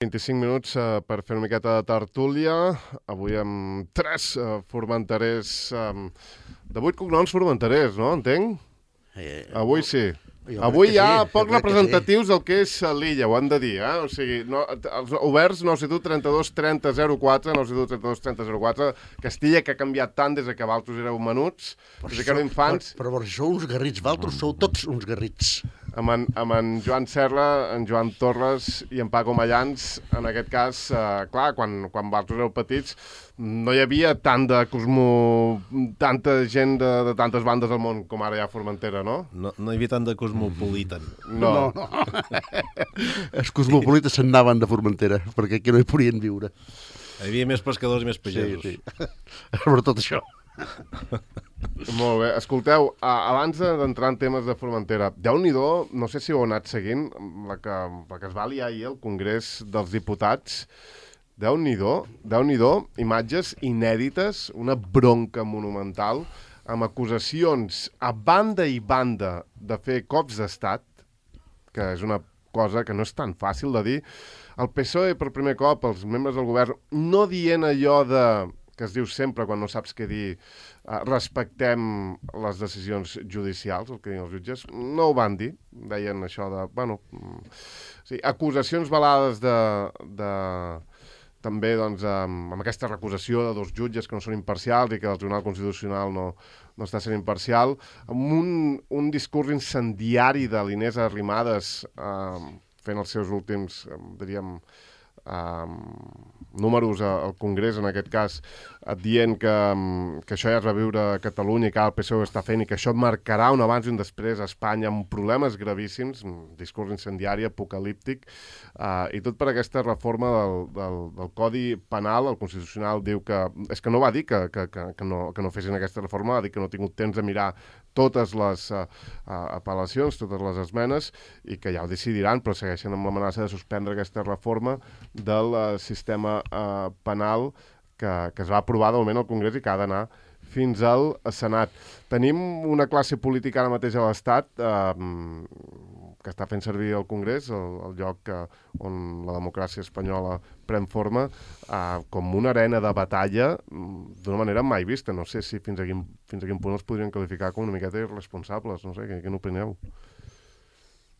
25 minuts per fer una miqueta de tertúlia. Avui amb 3 formenterers, de 8 cognoms formenterers, no? Entenc? Avui sí. Avui hi ha pocs representatius del que és l'illa, ho han de dir, eh? O sigui, els oberts 972 32 30 04, 972 32 30 04, Castilla, que ha canviat tant des que vosaltres éreu menuts, des que éreu infants. Però sou uns garrits, vosaltres sou tots uns garrits. Amb en Joan Serra, en Joan Torres i en Paco Mallans, en aquest cas, clar, quan vosaltres éreu petits, no hi havia tanta gent de tantes bandes del món com ara hi ha a Formentera, no? No hi havia tant de cosmopolitan. No. Els cosmopolites se'n anaven de Formentera, perquè aquí no hi podien viure. Hi havia més pescadors i més pagesos. Sí. Sobretot això. Molt bé. Escolteu, abans d'entrar en temes de Formentera, Déu-n'hi-do, no sé si ho heu anat seguint, la que es va liar ahir al Congrés dels Diputats. Déu-n'hi-do, imatges inèdites, una bronca monumental, amb acusacions a banda i banda de fer cops d'estat, que és una cosa que no és tan fàcil de dir. El PSOE, per primer cop, els membres del govern, no dient allò que es diu sempre quan no saps què dir, respectem les decisions judicials, el que diuen els jutges, no ho van dir, deien això de, acusacions velades també doncs, amb aquesta recusació de 2 jutges que no són imparcials i que el Tribunal Constitucional no està sent imparcial, amb un discurs incendiari de l'Inés Arrimadas fent els seus últims, diríem, números al Congrés, en aquest cas, dient que això ja es va viure a Catalunya i que el PSOE està fent i que això marcarà un abans i un després a Espanya amb problemes gravíssims, un discurs incendiari, apocalíptic, i tot per aquesta reforma del Codi Penal. El Constitucional diu que... És que no va dir que no fessin aquesta reforma, va dir que no ha tingut temps de mirar totes les apel·lacions, totes les esmenes, i que ja ho decidiran, però segueixen amb l'amenaça de suspendre aquesta reforma del sistema penal que es va aprovar de moment al Congrés i que ha d'anar fins al Senat. Tenim una classe política ara mateix a l'Estat que està fent servir el Congrés, el lloc on la democràcia espanyola pren forma, com una arena de batalla d'una manera mai vista. No sé si fins a quin punt els podrien qualificar com una miqueta irresponsables. No sé, què n'opineu?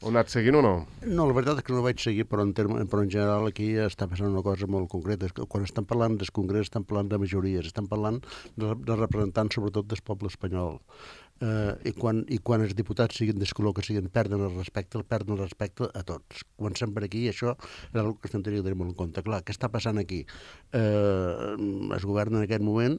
Ho heu anat seguint o no? No, la veritat és que no ho vaig seguir, però en general aquí està passant una cosa molt concreta. Quan estan parlant del Congrés estan parlant de majories, estan parlant de representants sobretot del poble espanyol. I quan els diputats siguin del color que siguin, perden el respecte a tots. Comencem per aquí i això és una qüestió que hem de tenir molt en compte. Clar, què està passant aquí? El govern en aquest moment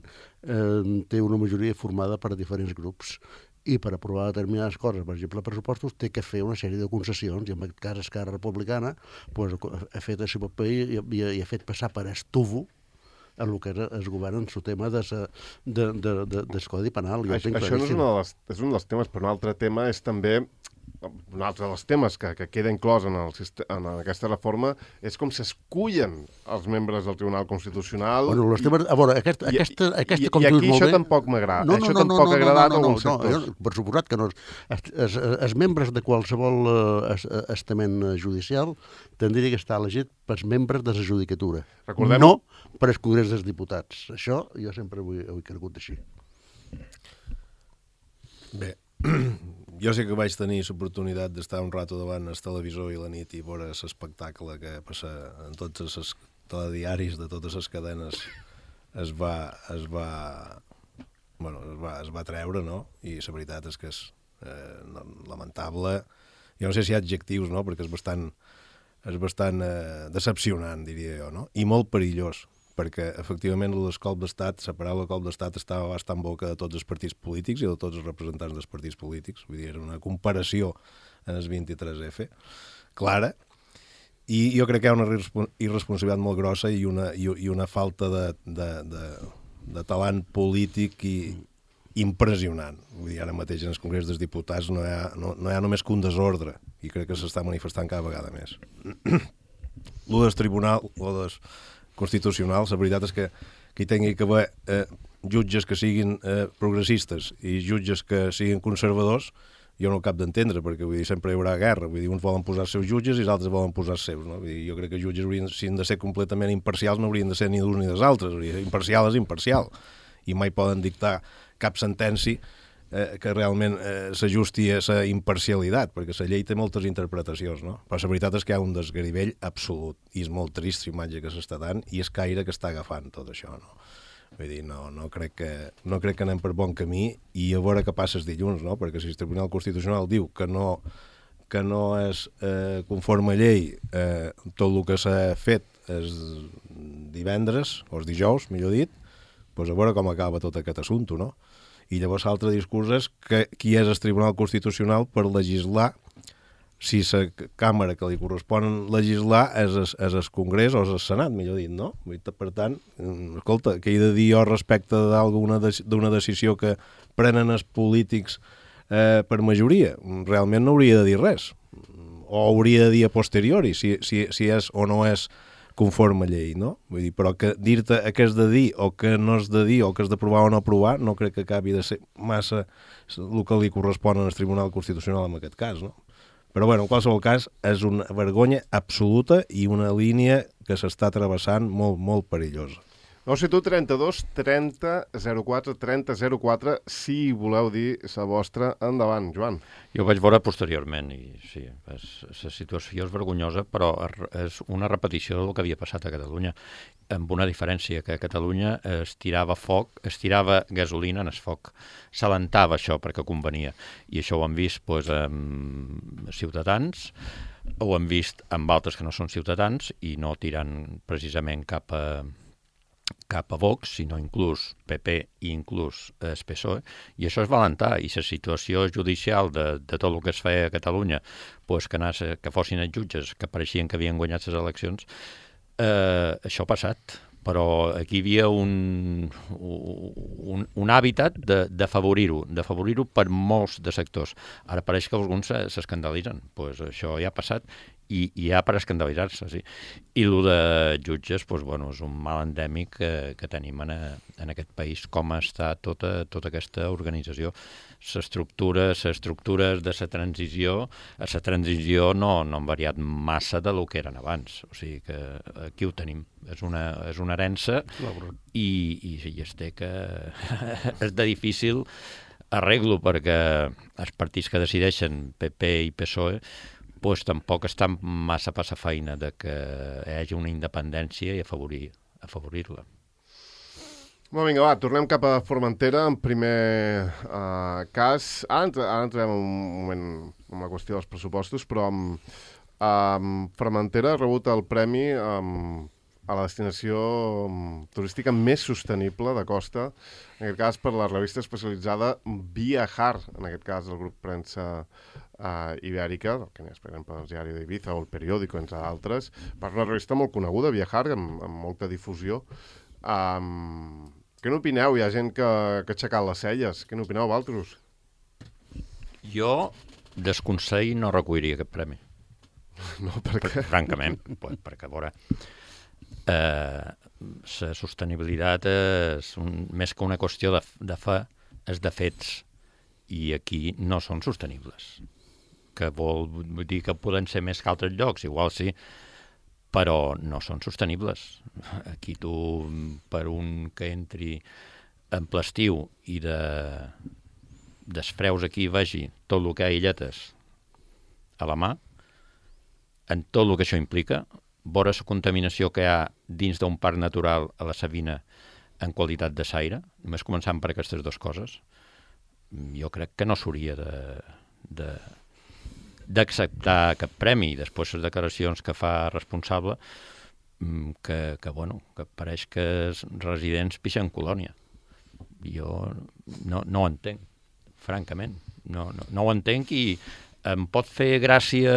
té una majoria formada per diferents grups i per aprovar determinades coses, per exemple, pressupostos, té que fer una sèrie de concessions, i en aquest cas Esquerra Republicana ha fet el seu paper i ha fet passar per estuvo en el que es govern en el tema del Codi Penal. Això és un dels temes, però un altre tema és també... Un altre dels temes que queda inclòs en aquesta reforma és com s'escullen els membres del Tribunal Constitucional. Bueno, els temes... A veure, aquesta com I aquí això tampoc m'agrada. Això tampoc ha agradat a alguns sectors. Per suposat que no. Els membres de qualsevol estament judicial tindria que estar elegit pels membres de la judicatura. No per el Congrés dels Diputats. Això jo sempre ho he cregut així. Bé, jo sí que vaig tenir l'oportunitat d'estar un rato davant el televisor i la nit i veure l'espectacle que passa en tots els telediaris de totes les cadenes es va treure, no? I la veritat és que és lamentable. Jo no sé si hi ha adjectius, no? Perquè és bastant decepcionant, diria jo, no? I molt perillós, perquè efectivament el colp d'estat, la paraula colp d'estat estava bastant en boca de tots els partits polítics i de tots els representants dels partits polítics. Vull dir, era una comparació en el 23F, clara, i jo crec que hi ha una irresponsabilitat molt grossa i una falta de talent polític impressionant. Vull dir, ara mateix en el Congrés dels Diputats no hi ha només que un desordre, i crec que s'està manifestant cada vegada més. Lo del Tribunal, o del Constitucional, la veritat és que hi tingui que haver jutges que siguin progressistes i jutges que siguin conservadors, jo no ho cap d'entendre, perquè vull dir, sempre hi haurà guerra, vull dir, uns volen posar els seus jutges i els altres volen posar els seus, no? Vull dir, jo crec que els jutges si han de ser completament imparcials no haurien de ser ni d'uns ni dels altres, vull dir, imparcial és imparcial, i mai poden dictar cap sentència que realment s'ajusti a la imparcialitat, perquè la llei té moltes interpretacions, no? Però la veritat és que hi ha un desgarivell absolut, i és molt trist l'imatge que s'està dant, i és Caire que està agafant tot això, no? Vull dir, no crec que anem per bon camí, i a veure què passa dilluns, no? Perquè si el Tribunal Constitucional diu que no és conforme a llei tot el que s'ha fet és divendres, o és dijous, millor dit, doncs a veure com acaba tot aquest assumpte, no? I llavors l'altre discurs és que qui és el Tribunal Constitucional per legislar, si la càmera que li correspon legislar és el Congrés o és el Senat, millor dit, no? Per tant, escolta, què he de dir jo respecte d'una decisió que prenen els polítics per majoria? Realment no hauria de dir res. O hauria de dir a posteriori, si és o no és conforme a llei, no? Vull dir, però que dir-te què has de dir o què no has de dir o què has d'aprovar o no aprovar no crec que acabi de ser massa el que li correspon al Tribunal Constitucional en aquest cas, no? Però, bueno, en qualsevol cas, és una vergonya absoluta i una línia que s'està travessant molt, molt perillosa. 972 30 04 30 04, si voleu dir la vostra. Endavant, Joan. Jo ho vaig veure posteriorment i sí, la situació és vergonyosa, però és una repetició del que havia passat a Catalunya, amb una diferència, que a Catalunya es tirava gasolina en el foc, s'alentava això perquè convenia, i això ho hem vist amb ciutadans, ho hem vist amb altres que no són ciutadans i no tiren precisament cap a Vox, sinó inclús PP i inclús el PSOE, i això es va alentar, i la situació judicial de tot el que es feia a Catalunya, que fossin els jutges que pareixien que havien guanyat les eleccions, això ha passat, però aquí hi havia un hàbitat d'afavorir-ho per molts de sectors. Ara pareix que alguns s'escandalitzen, doncs això ja ha passat, i ja per escandalitzar-se, sí. I el de jutges, és un mal endèmic que tenim en aquest país, com està tota aquesta organització. Les estructures de la transició no han variat massa del que eren abans. O sigui que aquí ho tenim. És una herència i es té que... és de difícil arreglo, perquè els partits que decideixen, PP i PSOE, tampoc estan massa per la feina de que hi hagi una independència i afavorir-la. Vinga, va, tornem cap a Formentera, en primer cas. Ara entrem un moment en la qüestió dels pressupostos, però Formentera ha rebut el premi a la destinació turística més sostenible de costa, en aquest cas per la revista especialitzada Viajar, en aquest cas el grup premsa ibèrica, que n'és, per exemple, el diari d'Ibiza o el periòdico, entre d'altres, per una revista molt coneguda, Viajar, amb molta difusió. Què n'opineu? Hi ha gent que ha aixecat les celles. Què n'opineu, vosaltres? Jo, desconsell, no recolliria aquest premi. No, per què? Francament, perquè, a veure, la sostenibilitat és més que una qüestió de fe, és de fets, i aquí no són sostenibles. Que vol dir que poden ser més que altres llocs, igual sí, però no són sostenibles. Aquí tu, per un que entri en ple estiu i desfreus aquí vegi tot el que hi ha illetes a la mà, en tot el que això implica, veure la contaminació que hi ha dins d'un parc natural a la Sabina en qualitat de l'aire, només començant per aquestes dues coses, jo crec que no s'hauria d'acceptar cap premi. Després les declaracions que fa responsable que pareix que els residents pixen colònia. Jo no ho entenc, francament. No ho entenc, i em pot fer gràcia...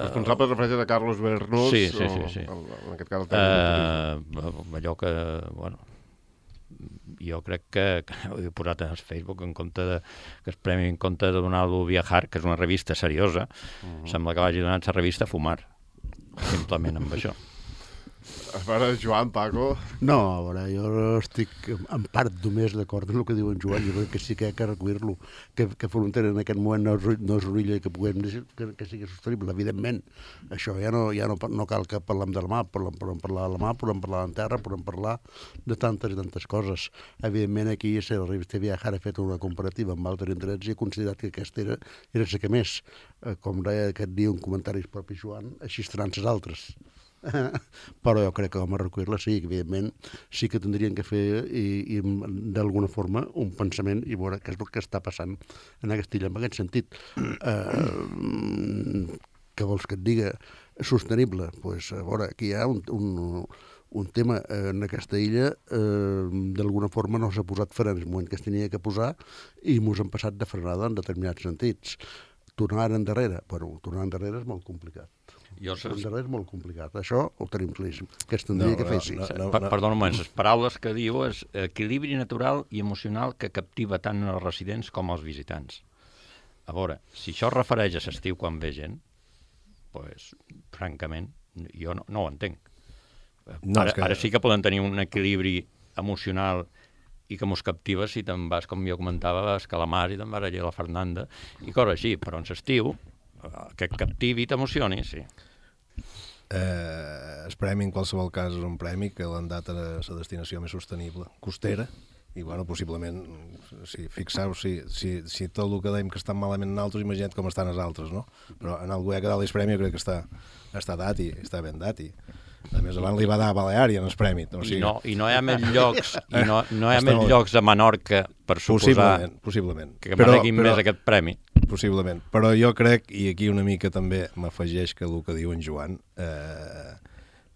Responsable es refereix a Carlos Bernús? Sí. En aquest cas... allò que... jo crec que ho he posat en el Facebook, que el premi en compte de donar-lo Viajar, que és una revista seriosa, sembla que vagi donar la revista a fumar, simplement amb això. A veure, Joan, Paco... No, a veure, jo estic en part només d'acord amb el que diu en Joan. Jo crec que sí que hi ha que recollir-lo, que Formentera en aquest moment no és una illa que puguem dir que sigui sostenible, evidentment. Això ja no cal que parlem de la mà, podem parlar de la mà, podem parlar de la terra, podem parlar de tantes i tantes coses. Evidentment, aquí la revista Viajar ha fet una comparativa amb altres indrets i ha considerat que aquesta era la que més. Com deia aquest dia un comentari propi Joan, així estaran les altres. Però jo crec que com a recollir-la sí, evidentment sí que tindrien que fer i d'alguna forma un pensament i veure què és el que està passant en aquesta illa en aquest sentit. Què vols que et diga? Sostenible? Pues, a veure, aquí hi ha un tema en aquesta illa, d'alguna forma no s'ha posat fre en el moment que es tenia que posar i ens han passat de frenada en determinats sentits. Tornar endarrere? Bueno, tornar endarrere és molt complicat. Endarrere és molt complicat. Això ho tenim claríssim, que es tindria que fer, sí. Perdona un moment, les paraules que diu és equilibri natural i emocional que captiva tant els residents com els visitants. A veure, si això es refereix a l'estiu quan ve gent, pues, francament, jo no ho entenc. Ara sí que poden tenir un equilibri emocional i que mos captiva si te'n vas, com jo comentava, a Calamar i te'n vas allà a la Fernanda i coses així, però en l'estiu que et captivi i t'emocioni, sí. El premi en qualsevol cas és un premi que l'han dat a la destinació més sostenible, costera, i bueno, possiblement, fixeu, si tot el que dèiem que estan malament en altres, imagina't com estan els altres, no? Però en algú que dalt el premi jo crec que està dat i està ben dat i a més abans li va dar a Baleària en el premi. O sigui... I no hi ha més llocs no hi ha més llocs a Menorca per suposar possiblement. Que mereguin més aquest premi. Possiblement, però jo crec, i aquí una mica també m'afegeix que el que diu en Joan,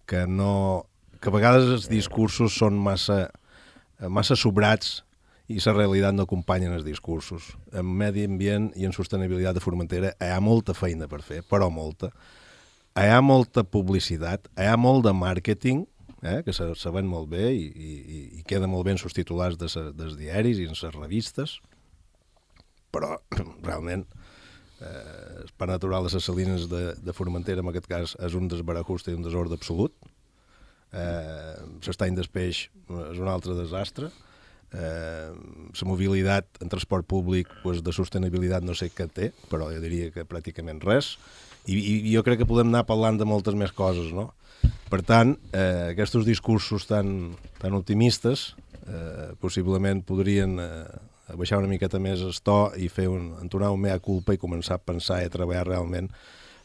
que a vegades els discursos són massa sobrats i la realitat no acompanyen els discursos. En medi ambient i en sostenibilitat de Formentera hi ha molta feina per fer, però molta. Hi ha molta publicitat, hi ha molt de màrqueting, que se ven molt bé i queda molt bé en els titulars dels diaris i en les revistes, però realment el parc natural de les Salines de Formentera en aquest cas és un desbarajuste i un desordre absolut. L'estany del peix és un altre desastre. La mobilitat en transport públic de sostenibilitat no sé què té, però jo diria que pràcticament res, i jo crec que podem anar parlant de moltes més coses, no? Per tant, aquests discursos tan optimistes possiblement podrien baixar una miqueta més el to i fer entonar un mea culpa i començar a pensar i a treballar realment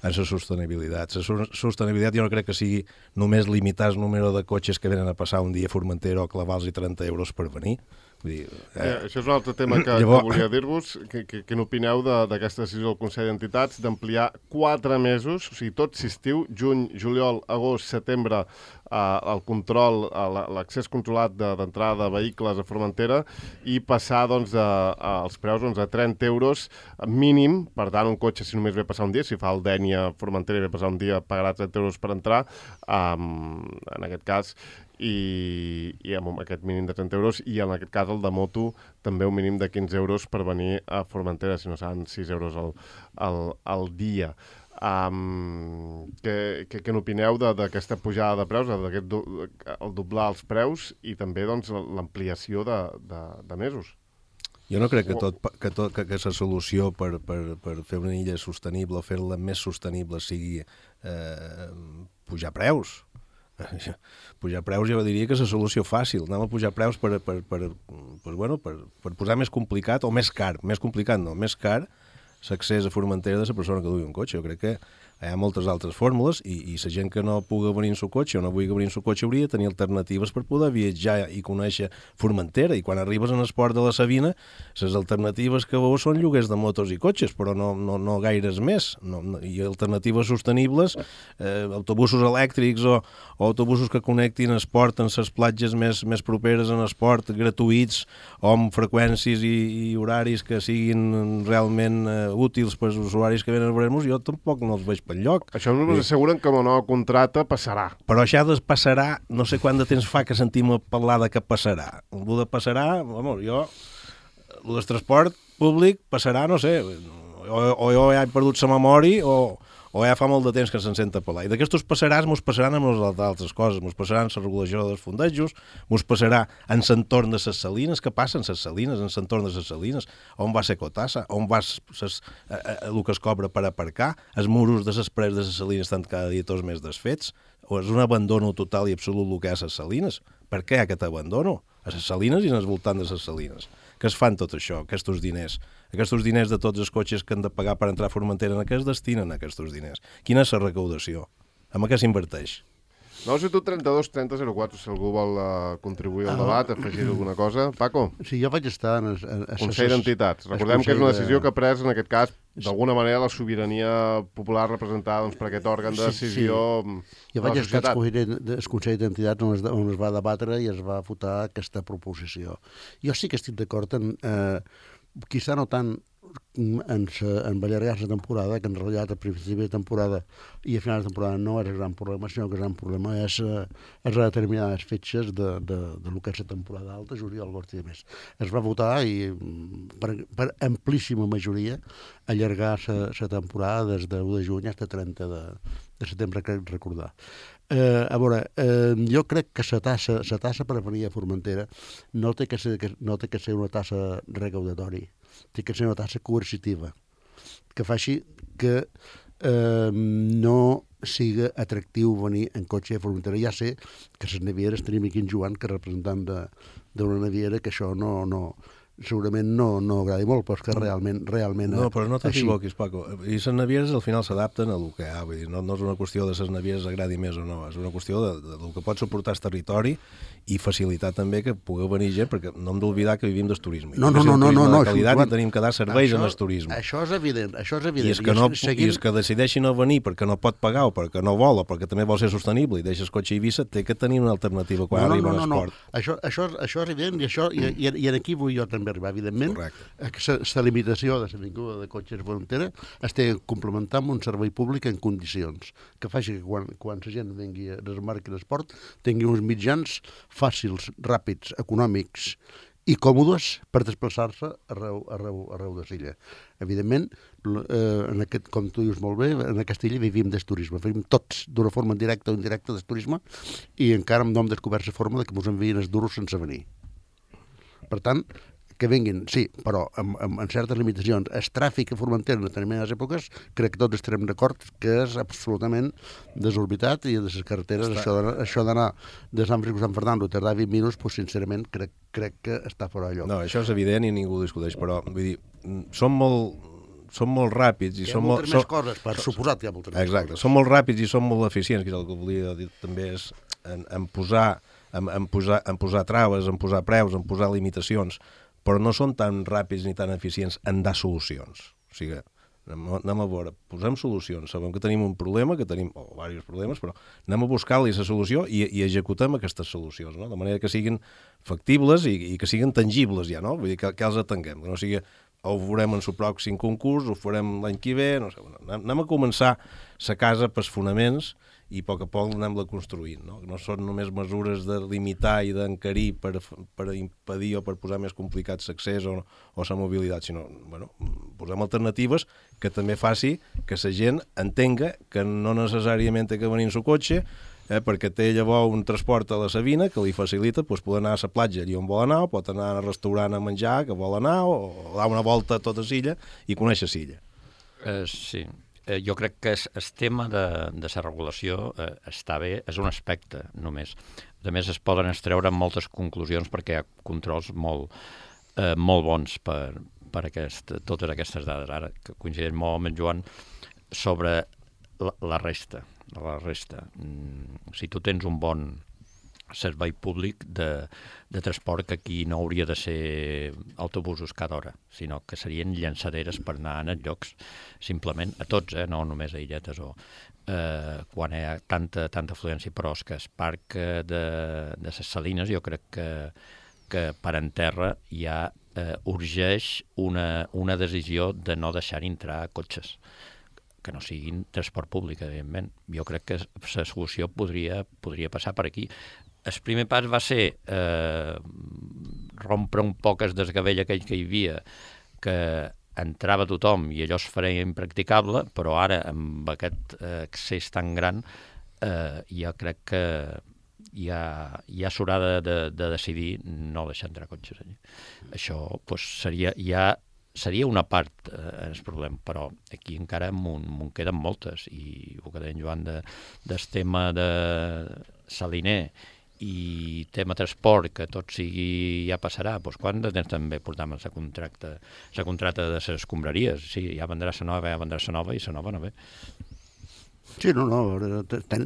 en la sostenibilitat. La sostenibilitat jo no crec que sigui només limitar el número de cotxes que venen a passar un dia a Formentera o clavar-los 30 euros per venir. Vull dir, això és un altre tema que volia dir-vos. Què n'opineu d'aquesta decisió del Consell d'Entitats d'ampliar 4 mesos, o sigui, tot l'estiu, juny, juliol, agost, setembre, el control, l'accés controlat d'entrada de vehicles a Formentera i passar els preus a 30 euros mínim. Per tant, un cotxe, si només ve passar un dia, si fa el Dénia a Formentera i ve passar un dia, pagarà 30 euros per entrar, en aquest cas, i amb aquest mínim de 30 euros, i en aquest cas el de moto també un mínim de 15 euros per venir a Formentera, si no seran 6 euros al dia. Què n'opineu d'aquesta pujada de preus, el doblar els preus i també l'ampliació de mesos? Jo no crec que la solució per fer una illa sostenible o fer-la més sostenible sigui pujar preus. Pujar preus jo diria que és la solució fàcil. Anem a pujar preus per posar més complicat o més car. Més complicat no, més car l'accés a Formentera de la persona que dugui un cotxe. Jo crec que hi ha moltes altres fórmules i la gent que no pugui venir en el cotxe o no vulgui venir en el cotxe hauria de tenir alternatives per poder viatjar i conèixer Formentera. I quan arribes en el port de la Sabina, les alternatives que veus són lloguers de motos i cotxes, però no gaires més. I alternatives sostenibles, autobusos elèctrics o autobusos que connectin el port en les platges més properes en el port, gratuïts o amb freqüències i horaris que siguin realment útils per als usuaris que venen a veure-nos. Jo tampoc no els veig per lloc. Això només asseguren que amb una nova contrata passarà. Però això passarà, no sé quant de temps fa que sentim parlar de que passarà. El de passarà, el del transport públic passarà, no sé, o jo he perdut la memòria o o ja fa molt de temps que se'n senta parlar. I d'aquestos passaràs mos passaran amb les altres coses, mos passaran la regulació dels fondejos, mos passarà en l'entorn de les salines, què passa en les salines, en l'entorn de les salines, on va ser cotassa, on va el que es cobra per aparcar, els muros de les parets de les salines estan cada dia tots més desfets, o és un abandono total i absolut el que hi ha a les salines. Per què aquest abandono? A les salines i en el voltant de les salines. Que es fan tot això, aquests diners de tots els cotxes que han de pagar per entrar a Formentera, en què es destinen aquests diners? Quina és la recaudació? En què s'inverteix? No, si tu 32 30 04, si algú vol contribuir al debat, afegir alguna cosa. Paco? Sí, jo vaig estar en Consell d'Entitats. Recordem que és una decisió que ha pres, en aquest cas, d'alguna manera, la sobirania popular representada per aquest òrgan de decisió de la societat. Jo vaig estar al Consell d'Entitats on es va debatre i es va votar aquesta proposició. Jo sí que estic d'acord en... Quizà no tant en allargar la temporada, que en realitat al principi de temporada i a final de temporada no és el gran problema, sinó que el gran problema és determinades fetges de lo que és la temporada alta, juliol, agost i més. Es va votar i per amplíssima majoria allargar la temporada des de 1 de juny fins a 30 de setembre, crec recordar. A veure, jo crec que la tassa per venir a Formentera no té que ser una tassa recaudatori, té que ser una tassa coercitiva, que faci que no siga atractiu venir en cotxe a Formentera. Ja sé que les navieres tenim aquí en Joan, que representant d'una naviera, que això segurament no agradi molt, però és que realment no, però no t'equivoquis, Paco. I les navieres al final s'adapten a el que hi ha. Vull dir, no és una qüestió de les navieres agradi més o no, és una qüestió del que pot suportar el territori i facilitar també que pugueu venir gent, perquè no hem d'oblidar que vivim del turisme. No, de qualitat i tenim que dar serveis en el turisme. Això és evident. I és que decideixi no venir perquè no pot pagar o perquè no vol o perquè també vol ser sostenible i deixa el cotxe a Eivissa, té que tenir una alternativa quan arriba a l'esport. Això és evident i aquí vull jo també arribar. Evidentment, la limitació de la vinguda de cotxes a Formentera es té de complementar amb un servei públic en condicions, que faci que quan la gent vingui a desmarcar l'esport tingui uns mitjans fàcils, ràpids, econòmics i còmodes per desplaçar-se arreu de l'illa. Evidentment, com tu dius molt bé, en aquesta illa vivim del turisme, vivim tots d'una forma directa o indirecta del turisme i encara no hem descobert la forma de que ens envien els duros sense venir. Per tant, que vinguin, sí, però amb certes limitacions. El tràfic a Formentera en determinades èpoques crec que tots estarem d'acord que és absolutament desorbitat i de les carreteres això d'anar de Sant Francisco a Sant Fernando tardar 20 minuts, doncs sincerament crec que està fora de lloc. No, això és evident i ningú ho discuteix, però vull dir, som molt ràpids i hi ha moltes més coses, per suposat hi ha moltes més coses. Exacte, som molt ràpids i som molt eficients, que és el que volia dir també és en posar traves, en posar preus, en posar limitacions, però no són tan ràpids ni tan eficients en dar solucions. O sigui, anem a veure, posem solucions, sabem que tenim un problema, que tenim diversos problemes, però anem a buscar-li la solució i executem aquestes solucions, no? De manera que siguin factibles i que siguin tangibles ja, no? Vull dir, que els atenguem, que no sigui ho farem en el pròxim concurs, ho farem l'any que ve, no sé, anem a començar la casa pels fonaments i a poc anem-la construint. No són només mesures de limitar i d'encarir per impedir o per posar més complicat l'accés o la mobilitat, sinó posem alternatives que també faci que la gent entenga que no necessàriament té que venir en el cotxe perquè té llavors un transport a la Sabina que li facilita poder anar a la platja allà on vol anar, o pot anar al restaurant a menjar que vol anar, o dar una volta a tota l'illa i conèixer l'illa. Sí. Jo crec que el tema de la regulació està bé, és un aspecte només. A més, es poden extreure moltes conclusions perquè hi ha controls molt bons per totes aquestes dades. Ara, que coincideix molt amb en Joan, sobre la resta. Si tu tens un bon servei públic de transport, que aquí no hauria de ser autobusos cada hora, sinó que serien llançaderes per anar a llocs, simplement, a tots, no només a illetes o quan hi ha tanta afluència, però és que el parc de les Salines jo crec que per en terra ja urgeix una decisió de no deixar entrar cotxes que no siguin transport públic, evidentment. Jo crec que la solució podria passar per aquí. El primer pas va ser rompre un poc el desgavell aquell que hi havia, que entrava tothom i allò es feia impracticable, però ara, amb aquest accés tan gran, jo crec que ja s'haurà de decidir no deixar entrar cotxes allà. Això seria una part el problema, però aquí encara m'ho queden moltes, i el que deia en Joan del tema de Saliner i tema transport, que tot sigui ja passarà, doncs quan de temps també portam la contracta de les escombraries? Sí, ja vendrà la nova i la nova no ve. Sí, no,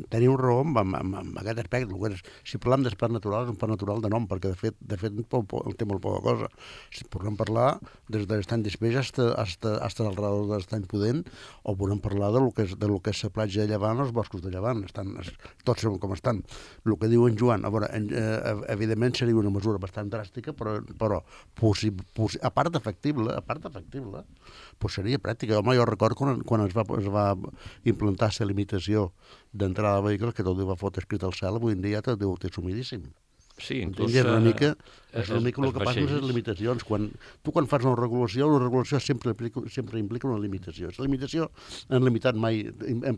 teniu raó amb aquest aspecte. Si parlem d'espart natural, és un part natural de nom, perquè de fet té molt poca cosa. Si podem parlar des de l'estany d'Espeix fins al redor de l'estany Pudent, o podem parlar de lo que és la platja de Llevant o els boscos de Llevant. Tots sabem com estan. El que diu en Joan, evidentment seria una mesura bastant dràstica, però a part d'efectible, seria pràctica. Home, jo recordo quan es va implantar la limitació d'entrada de vehicles, que tot va fotre escrit al cel, avui en dia tot deu ter sumidíssim. Sí, inclús... És una mica el que passa amb les limitacions. Quan fas una regulació sempre implica una limitació. La limitació en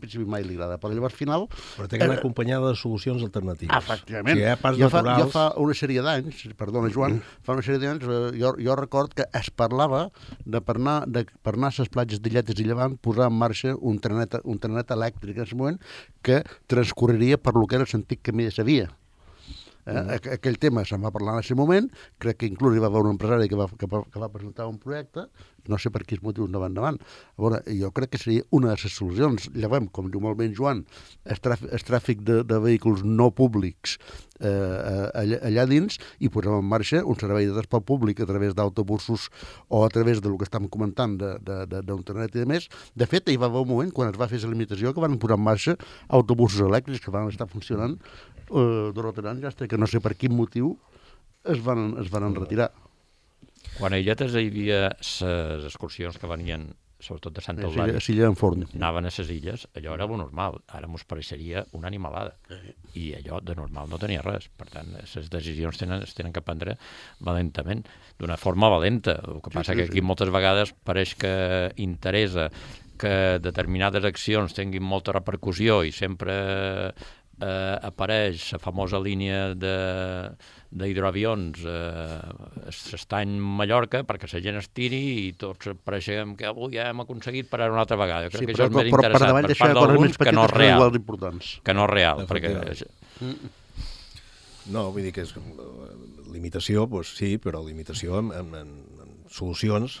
principi mai li agrada, però llavors al final... Però té que anar acompanyada de solucions alternatives. Efectivament. Si hi ha parts naturals... Jo fa una sèrie d'anys, perdona Joan, jo record que es parlava de per anar a les platges d'Illetes i Llevant posar en marxa un trenet elèctric en aquest moment que transcorreria per lo que era l'antic camí de la via. Aquell tema se'n va parlar en aquest moment, crec que inclús hi va haver un empresari que va presentar un projecte, no sé per quins motius no va endavant. A veure, jo crec que seria una de les solucions. Llavors, com diu molt bé en Joan, el tràfic de vehicles no públics allà dins, i posem en marxa un servei de transport públic a través d'autobusos o a través del que estem comentant d'internet i de més. De fet, hi va haver un moment, quan es va fer la limitació, que van posar en marxa autobusos elèctrics que van estar funcionant durant anys, fins que no sé per quin motiu es van retirar. Quan a Illetes hi havia les excursions que venien, sobretot de Sant Eulàlia, anaven a les illes, allò era lo normal. Ara mos pareixeria una animalada. I allò de normal no tenia res. Per tant, les decisions es tenen que prendre valentament, d'una forma valenta. El que passa que aquí moltes vegades pareix que interessa que determinades accions tinguin molta repercussió i sempre apareix la famosa línia d'hidroavions s'estany Mallorca perquè la gent es tiri i tots pareixem que avui ja hem aconseguit parar una altra vegada. Jo crec que això és més interessant per part d'alguns que no és real. Que no és real. No, vull dir que és limitació, doncs sí, però limitació en solucions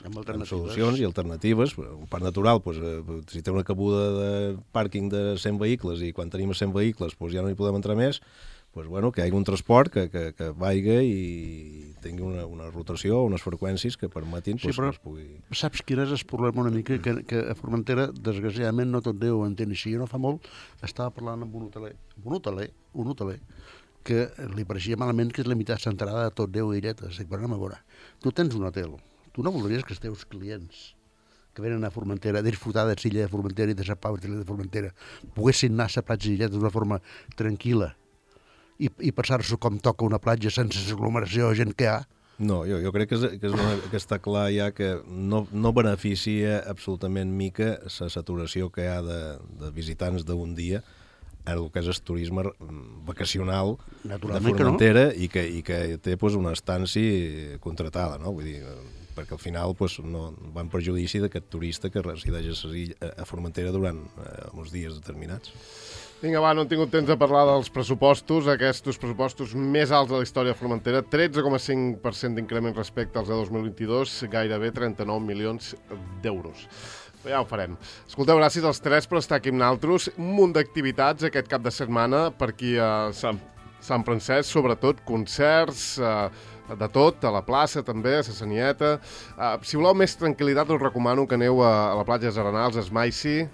i alternatives. Un parc natural, si té una cabuda de pàrquing de 100 vehicles i quan tenim 100 vehicles ja no hi podem entrar més, que hi hagi un transport que vaiga i tingui una rotació, unes freqüències que permetin que es pugui... Saps quin és el problema una mica? Que a Formentera, desgraciadament, no tot Déu ho entén així. Jo no fa molt estava parlant amb un hoteler, que li pareixia malament que es limitasse l'entrada de tot Déu i Illetes. Dic, però anem a veure, tu tens un hotel, tu no voldries que els teus clients que venen a Formentera, a disfrutar de l'illa de Formentera i de la Pau de Formentera, poguessin anar a la platja d'Illetes d'una forma tranquil·la i passar-se com toca una platja sense l'aglomeració de gent que hi ha? No, jo crec que està clar ja que no beneficia absolutament mica la saturació que hi ha de visitants d'un dia en el que és el turisme vacacional de Formentera i que té una estància contratada, no? Vull dir, perquè al final no va en perjudici d'aquest turista que resideix a Formentera durant uns dies determinats. Vinga, no hem tingut temps de parlar dels pressupostos, aquests pressupostos més alts de la història de Formentera, 13,5% d'increment respecte als de 2022, gairebé 39 milions d'euros. Ja ho farem. Escolteu, gràcies als tres per estar aquí amb nosaltres. Un munt d'activitats aquest cap de setmana per aquí a Sant Francesc, sobretot concerts, de tot, a la plaça també, a la Sanieta. Si voleu més tranquil·litat us recomano que aneu a la platja de Arenals, a Esmaici,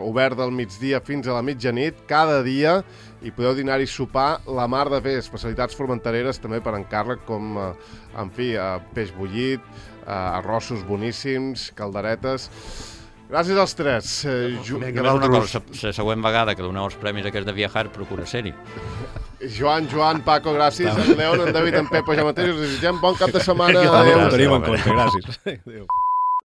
obert del migdia fins a la mitjanit, cada dia, i podeu dinar i sopar la mar de bé, especialitats formentereres també per encàrrec, com, peix bullit, arrossos boníssims, calderetes... Gràcies als tres. Una cosa, la següent vegada que doneu els premis aquests de viajar, procura ser-hi. Joan, Paco, gràcies. En León, en David, en Pepo, ja mateix us desitgem bon cap de setmana. Ho tenim en compte, gràcies. Adéu.